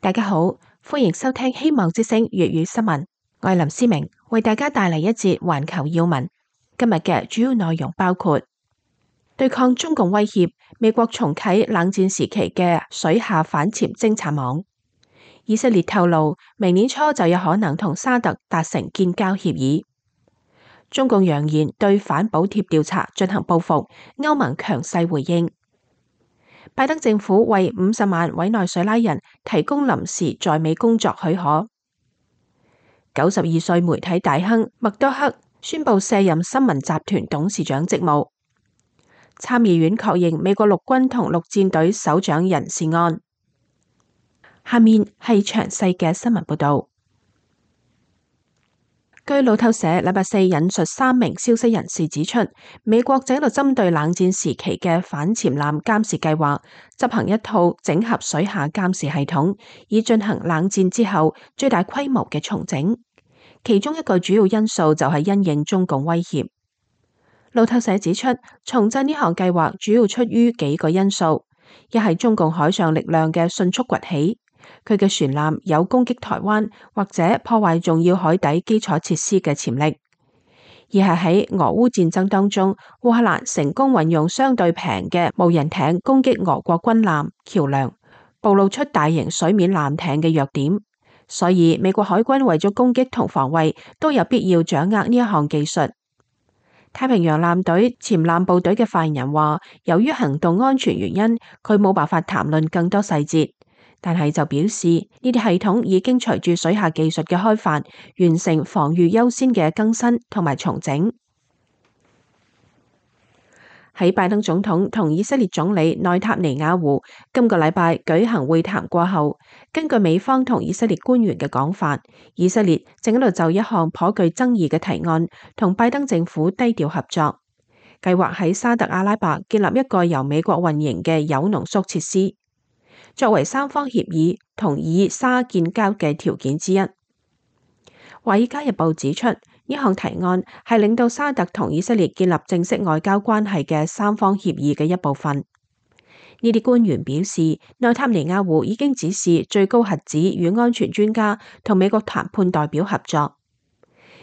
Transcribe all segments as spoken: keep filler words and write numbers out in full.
大家好，歡迎收聽希望之聲粵語新聞，我係林思明，為大家帶嚟一節環球要聞。今日嘅主要內容包括對抗中共威脅，美國重啟冷戰時期嘅水下反潛偵察網。以色列透露，明年初就有可能同沙特達成建交協議。中共揚言對反補貼調查進行報復，歐盟強勢回應。拜登政府為五十萬委內瑞拉人提供臨時在美工作許可。九十二歲媒體大亨默多克宣布卸任新聞集團董事長職務。參議院確認美國陸軍同陸戰隊首長人事案。下面係詳細嘅新聞報道。據路透社禮拜四引述三名消息人士指出，美國正喺度針對冷戰時期嘅反潛艦監視計劃，執行一套整合水下監視系統，以進行冷戰之後最大規模嘅重整。其中一個主要因素就係因應中共威脅。路透社指出，重振呢項計劃主要出於幾個因素：一係中共海上力量嘅迅速崛起。佢嘅船艦有攻擊台灣或者破壞重要海底基礎設施嘅潛力；二係喺俄烏戰爭當中，烏克蘭成功運用相對平嘅無人艇攻擊俄國軍艦、橋樑，暴露出大型水面艦艇嘅弱點。所以美國海軍為咗攻擊同防衛，都有必要掌握呢一項技術。太平洋艦隊潛艦部隊嘅發言人話，由於行動安全原因，佢冇辦法談論更多細節。但係就表示呢啲系統已經隨住水下技術嘅開發，完成防禦優先嘅更新同埋重整。喺拜登總統同以色列總理內塔尼亞胡今個禮拜舉行會談過後，根據美方同以色列官員嘅講法，以色列正喺度就一項頗具爭議嘅提案同拜登政府低調合作，計劃喺沙特阿拉伯建立一個由美國運營嘅鈾濃縮設施，作為三方協議同以沙建交嘅條件之一。華爾街日報指出，呢項提案係令到沙特同以色列建立正式外交關係嘅三方協議嘅一部分。呢啲官員表示，內塔尼亞胡已經指示最高核子與安全專家同美國談判代表合作。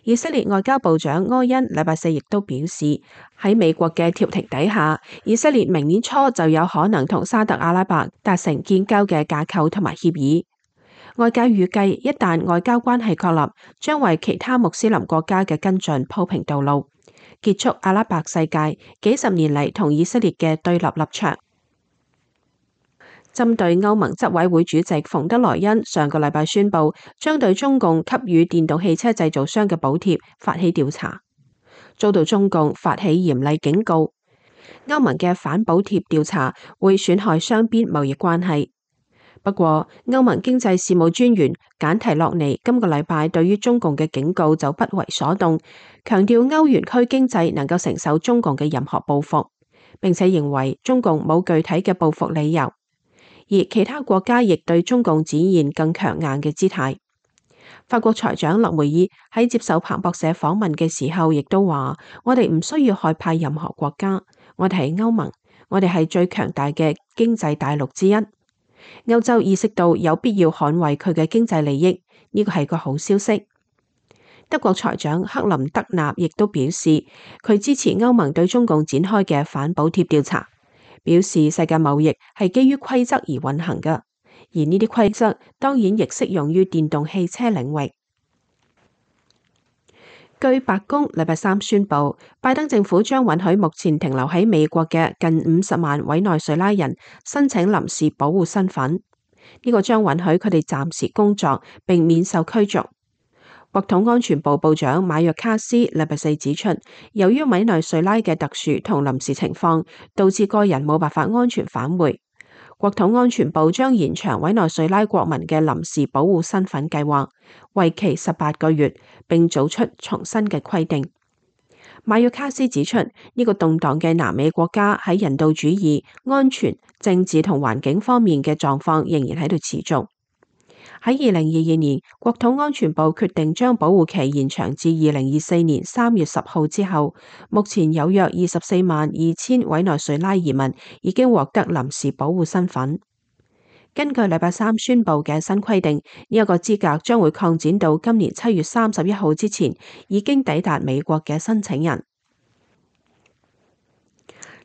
以色列外交部長柯恩禮拜四亦都表示，喺美國嘅調停底下，以色列明年初就有可能同沙特阿拉伯達成建交嘅架構同埋協議。外界預計，一旦外交關係確立，將為其他穆斯林國家嘅跟進鋪平道路，結束阿拉伯世界幾十年嚟同以色列嘅對立立場。針對歐盟執委會主席馮德萊恩上個禮拜宣布，將對中共給予電動汽車製造商嘅補貼發起調查，遭到中共發起嚴厲警告。歐盟嘅反補貼調查會損害雙邊貿易關係。不過，歐盟經濟事務專員簡提洛尼今個禮拜對於中共嘅警告就不為所動，強調歐元區經濟能夠承受中共嘅任何報復，並且認為中共冇具體嘅報復理由。而其他國家亦對中共展現更強硬嘅姿態。法國財長勒梅爾喺接受彭博社訪問嘅時候，亦都話：我哋唔需要害怕任何國家，我哋係歐盟，我哋係最強大嘅經濟大陸之一。歐洲意識到有必要捍衛佢嘅經濟利益，呢個係個好消息。德國財長克林德納亦都表示，佢支持歐盟對中共展開嘅反補貼調查。表示世界貿易係基於規則而運行嘅，而呢啲規則當然亦適用於電動汽車領域。據白宮禮拜三宣布，拜登政府將允許目前停留喺美國嘅近五十萬委內瑞拉人申請臨時保護身份，呢個將允許佢哋暫時工作並免受驅逐。國土安全部部長馬約卡斯禮拜四指出，由於委內瑞拉嘅特殊同臨時情況，導致個人冇辦法安全返回。國土安全部將延長委內瑞拉國民嘅臨時保護身份計劃，為期十八個月，並做出重新嘅規定。馬約卡斯指出，呢個動盪嘅南美國家喺人道主義、安全、政治同環境方面嘅狀況仍然喺度持續。喺二零二二年，國土安全部決定將保護期延長至二零二四年三月十號之後，目前有約二十四萬二千委內瑞拉移民已經獲得臨時保護身份。根據禮拜三宣布嘅新規定，呢一個資格將會擴展到今年七月三十一號之前已經抵達美國嘅申請人。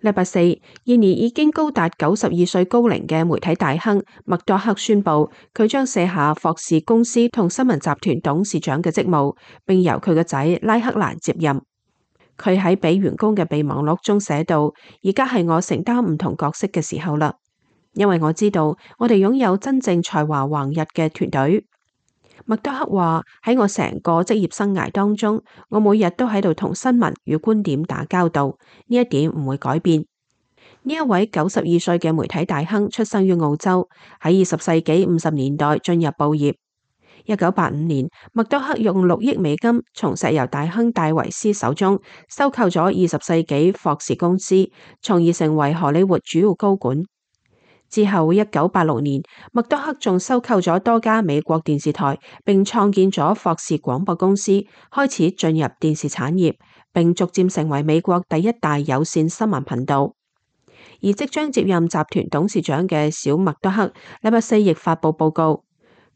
禮拜四，現年已經高達九十二歲高齡嘅媒體大亨麥多克宣布，佢將卸下霍士公司同新聞集團董事長嘅職務，並由佢個仔拉克蘭接任。佢喺俾員工嘅備忘錄中寫道：而家係我承擔唔同角色嘅時候啦，因為我知道我哋擁有真正才華橫溢嘅團隊。麥多克話：喺我成個職業生涯當中，我每日都喺度同新聞與觀點打交道，呢一點唔會改變。呢一位九十二歲嘅媒體大亨出生於澳洲，喺二十世紀五十年代進入報業。一九八五年，麥多克用六億美金從石油大亨戴維斯手中收購咗二十世紀霍士公司，從而成為荷里活主要高管。之後，一九八六年，麥多克仲收購咗多家美國電視台，並創建咗霍士廣播公司，開始進入電視產業，並逐漸成為美國第一大有線新聞頻道。而即將接任集團董事長嘅小麥多克，禮拜四亦發布報告，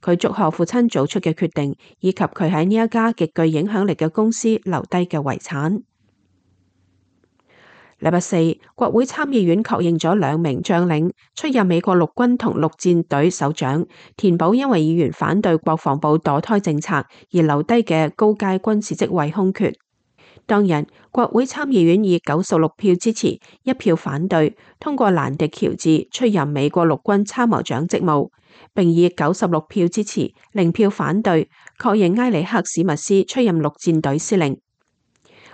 佢祝賀父親做出嘅決定，以及佢喺呢一家極具影響力嘅公司留低嘅遺產。禮拜四，國會參議院確認咗兩名將領出任美國陸軍同陸戰隊首長，填補因為議員反對國防部墮胎政策而留低嘅高階軍事職位空缺。當日，國會參議院以九十六票支持、一票反對，通過蘭迪喬治出任美國陸軍參謀長職務，並以九十六票支持、零票反對，確認埃里克史密斯出任陸戰隊司令。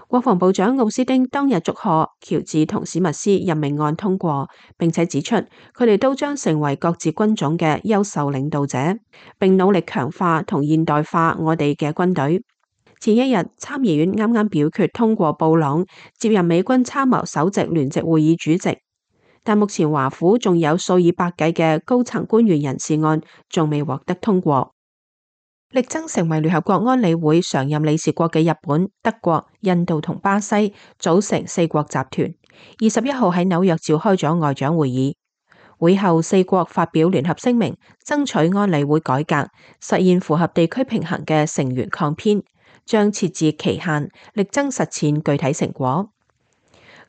國防部長奧斯汀當日祝賀喬治同史密斯任命案通過，並且指出佢哋都將成為各自軍種嘅優秀領導者，並努力強化同現代化我哋嘅軍隊。前一日，參議院啱啱表決通過布朗接任美軍參謀首席聯席會議主席，但目前華府仲有數以百計嘅高層官員人事案仲未獲得通過。力爭成為聯合國安理會常任理事國嘅日本、德國、印度同巴西組成四國集團，二十一號喺紐約召開咗外長會議。會後，四國發表聯合聲明，爭取安理會改革，實現符合地區平衡嘅成員抗編，將設置期限，力爭實踐具體成果。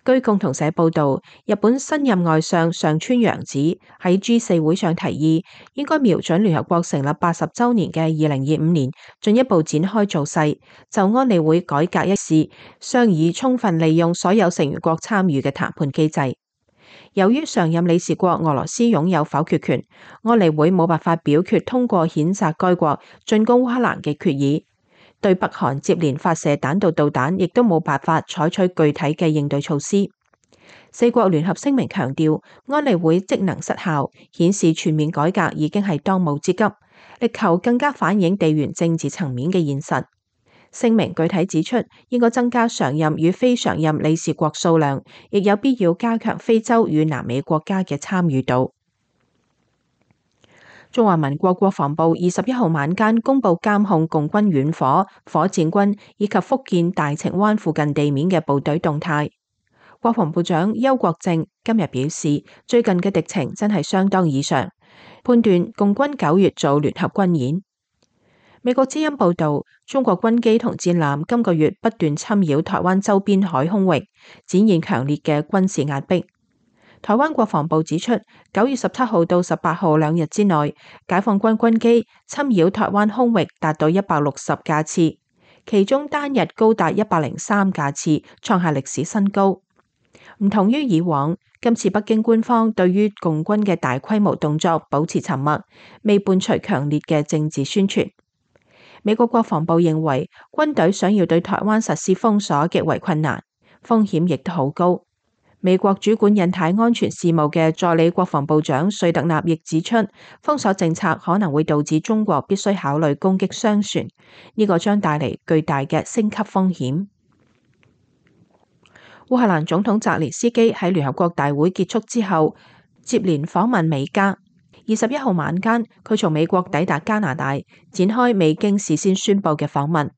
據共同社報道，日本新任外相上川陽子喺 G 四會上提議，應該瞄準聯合國成立八十週年嘅二零二五年，進一步展開造勢，就安理會改革一事商議充分利用所有成員國參與嘅談判機制。由於常任理事國俄羅斯擁有否決權，安理會冇辦法表決通過譴責該國進攻烏克蘭嘅決議。對北韓接連發射彈道導彈，亦都冇辦法採取具體嘅應對措施。四國聯合聲明強調，安理會職能失效，顯示全面改革已經係當務之急，力求更加反映地緣政治層面嘅現實。聲明具體指出，應該增加常任與非常任理事國數量，亦有必要加強非洲與南美國家嘅參與度。中華民國國防部二十一號晚間公布監控共軍遠火、火箭軍以及福建大情灣附近地面嘅部隊動態。國防部長邱國正今日表示，最近嘅敵情真係相當異常，判斷共軍九月做聯合軍演。美國之音報道，中國軍機同戰艦今個月不斷侵擾台灣周邊海空域，展現強烈嘅軍事壓迫。台灣國防部指出，九月十七號到十八號兩日之內，解放軍軍機侵擾台灣空域達到一百六十架次，其中單日高達一百零三架次，創下歷史新高。唔同於以往，今次北京官方對於共軍嘅大規模動作保持沉默，未伴隨強烈嘅政治宣傳。美國國防部認為，軍隊想要對台灣實施封鎖極為困難，風險亦都好高。美國主管印太安全事務嘅助理國防部長瑞特納亦指出，封鎖政策可能會導致中國必須考慮攻擊商船，呢個將帶嚟巨大嘅升級風險。烏克蘭總統澤連斯基喺聯合國大會結束之後，接連訪問美加。二十一號晚間，佢從美國抵達加拿大，展開未經事先宣佈嘅訪問。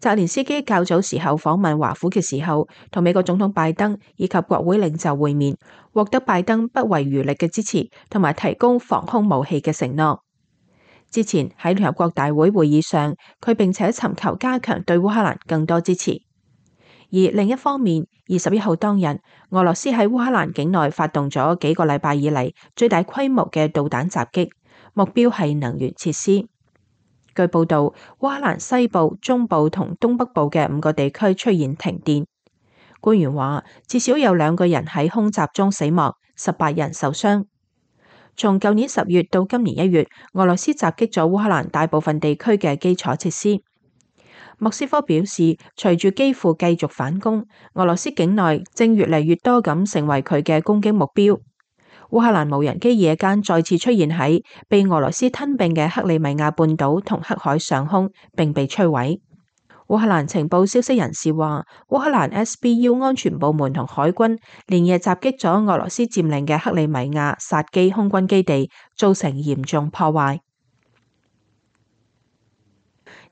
澤連斯基較早時候訪問華府嘅時候，同美國總統拜登以及國會領袖會面，獲得拜登不遺餘力嘅支持，同埋提供防空武器嘅承諾。之前喺聯合國大會會議上，佢並且尋求加強對烏克蘭更多支持。而另一方面，二十一號當日，俄羅斯喺烏克蘭境內發動咗幾個禮拜以嚟最大規模嘅導彈襲擊，目標係能源設施。據報道，烏克蘭西部、中部同東北部嘅五個地區出現停電。官員話，至少有兩個人喺空襲中死亡，十八人受傷。從舊年十月到今年一月，俄羅斯襲擊咗烏克蘭大部分地區嘅基礎設施。莫斯科表示，隨住基輔繼續反攻，俄羅斯境內正越嚟越多咁成為佢嘅攻擊目標。烏克蘭無人機夜間再次出現喺被俄羅斯吞併嘅克里米亞半島同黑海上空，並被摧毀。烏克蘭情報消息人士話，烏克蘭 S B U 安全部門同海軍連夜襲擊咗俄羅斯佔領嘅克里米亞薩基空軍基地，造成嚴重破壞。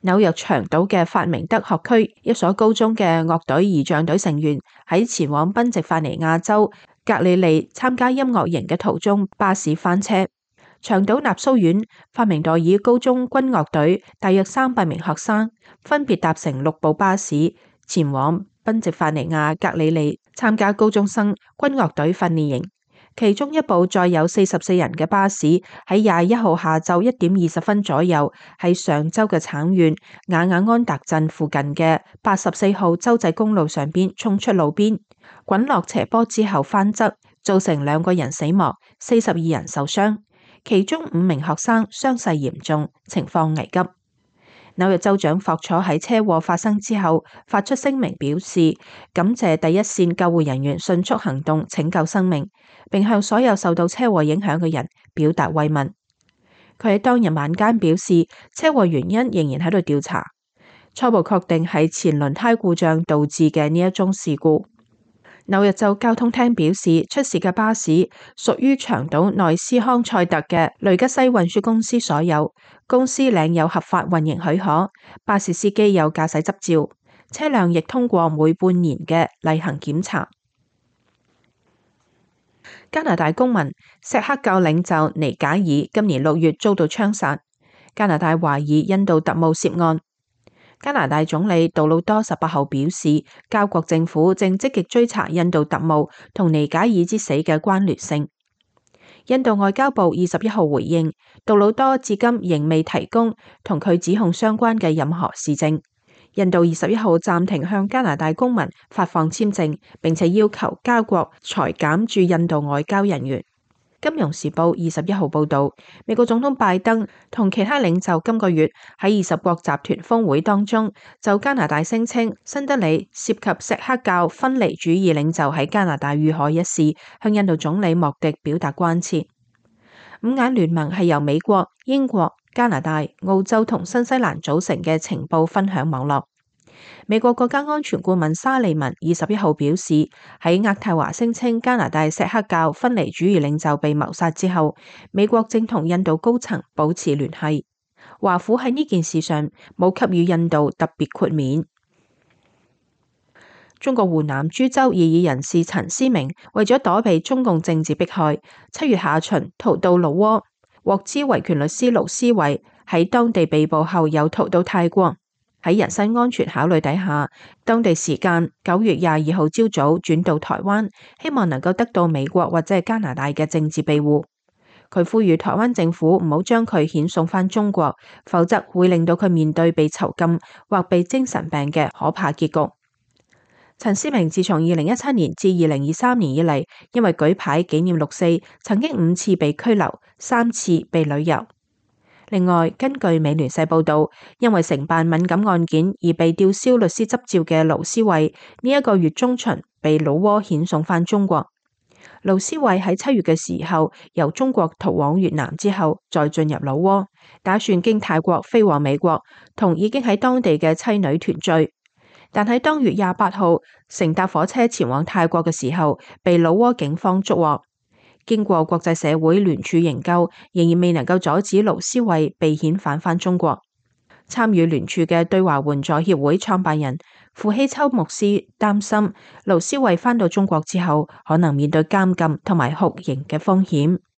紐約長島嘅法明德學區一所高中嘅樂隊儀仗隊成員喺前往賓夕法尼亞州格里利參加音樂營嘅途中，巴士翻車。長島納蘇縣法明代爾高中軍樂隊大約三百名學生分別搭乘六部巴士前往賓夕法尼亞格里利參加高中生軍樂隊訓練營。其中一部載有四十四人嘅巴士喺廿一號下晝一點二十分左右，喺上州嘅橙縣雅雅安達鎮附近嘅八十四號州際公路上邊衝出路邊，滾落斜坡之後翻側，造成兩個人死亡，四十二人受傷，其中五名學生傷勢嚴重，情況危急。紐約州長霍楚喺車禍發生之後發出聲明，表示感謝第一線救護人員迅速行動拯救生命，並向所有受到車禍影響嘅人表達慰問。佢喺當日晚間表示，車禍原因仍然喺度調查，初步確定係前輪胎故障導致嘅呢一宗事故。紐約州交通廳表示，出事嘅巴士屬於長島內斯康塞特嘅雷吉西運輸公司所有，公司領有合法運營許可，巴士司機有駕駛執照，車輛亦通過每半年嘅例行檢查。加拿大公民錫克教領袖尼賈爾今年六月遭到槍殺，加拿大懷疑印度特務涉案。加拿大總理杜魯多十八號表示，交國政府正積極追查印度特務同尼賈爾之死嘅關聯性。印度外交部二十一號回應，杜魯多至今仍未提供同佢指控相關嘅任何事證。印度二十一號暫停向加拿大公民發放簽證，並且要求交國裁減駐印度外交人員。金融時報二十一號報道，美國總統拜登同其他領袖今個月喺二十國集團峰會當中，就加拿大聲稱新德里涉及錫克教分離主義領袖喺加拿大遇害一事，向印度總理莫迪表達關切。五眼聯盟係由美國、英國、加拿大、澳洲同新西蘭組成嘅情報分享網絡。美國國家安全顧問沙利文二十一號表示，喺渥太華聲稱加拿大錫克教分離主義領袖被謀殺之後，美國正同印度高層保持聯繫。華府喺呢件事上冇給予印度特別豁免。中國湖南株洲異議人士陳思明為咗躲避中共政治迫害，七月下旬逃到老撾，獲知維權律師盧思維喺當地被捕後又逃到泰國。喺人身安全考慮底下，當地時間九月廿二號朝早轉到台灣，希望能夠得到美國或者係加拿大嘅政治庇護。佢呼籲台灣政府唔好將佢遣送返中國，否則會令到佢面對被囚禁或被精神病嘅可怕結局。陳思明自從二零一七年至二零二三年以嚟，因為舉牌紀念六四，曾經五次被拘留，三次被旅遊。另外，根據美聯社報道，因為承辦敏感案件而被吊銷律師執照嘅盧思維，呢一個月中旬被老撾遣送返中國。盧思維喺七月嘅時候由中國逃往越南之後，再進入老撾，打算經泰國飛往美國，同已經喺當地嘅妻女團聚。但喺當月廿八號乘搭火車前往泰國嘅時候，被老撾警方捉獲。經過國際社會聯署營救，仍然未能夠阻止盧思維被遣返返中國。參與聯署嘅對華援助協會創辦人傅希秋牧師擔心，盧思位返到中國之後，可能面對監禁同埋酷刑嘅風險。